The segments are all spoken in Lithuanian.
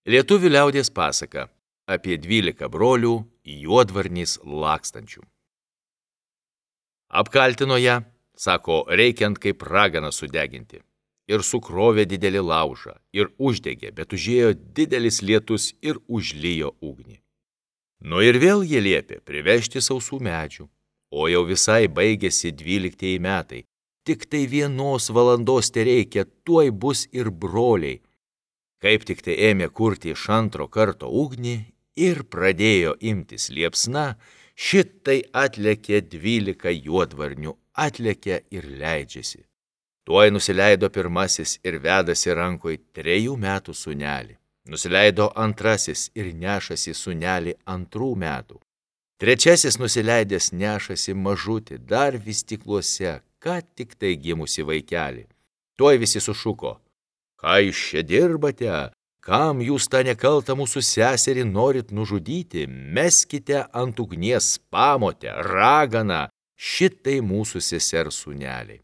Lietuvių liaudies pasaka apie 12 brolių juodvarniais lakstančių. Apkaltino ją, sako, reikiant kaip raganą sudeginti. Ir sukrovė didelį laužą, ir uždegė, bet užėjo didelis lietus ir užlijo ugnį. Nu ir vėl jie liepė privežti sausų medžių, o jau visai baigėsi 12 metai. Tik tai 1 valandos tereikia, tuoj bus ir broliai. Kaip tik tai ėmė kurti iš antro karto ugnį ir pradėjo imtis liepsna, šitai atlėkė 12 juodvarnių, atlėkė ir leidžiasi. Tuoj nusileido pirmasis ir vedasi rankoj 3 metų sūnelį. Nusileido antrasis ir nešasi sūnelį 2 metų. Trečiasis nusileidęs nešasi mažutį, dar vystykluose, ką tik tai gimusi vaikelį. Tuoj visi sušuko: ką jūs čia dirbate? Kam jūs tą nekaltą mūsų seserį norit nužudyti? Meskite ant ugnies pamotę, raganą, šitai mūsų sesers sūneliai.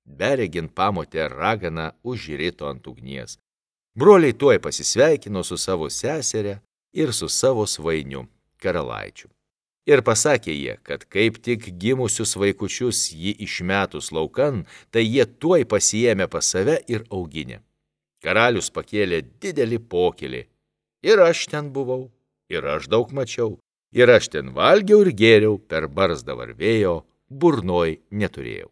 Beregint pamotę raganą užrito ant ugnies. Broliai tuoj pasisveikino su savo seserė ir su savo svainiu, karalaičiu. Ir pasakė jie, kad kaip tik gimusius vaikučius jį išmetus laukan, tai jie tuoj pasiėmė pas save ir auginė. Karalius pakėlė didelį pokylį. Ir aš ten buvau, ir aš daug mačiau, ir aš ten valgiau ir gėriau, per barzdą varvėjo, burnoj neturėjau.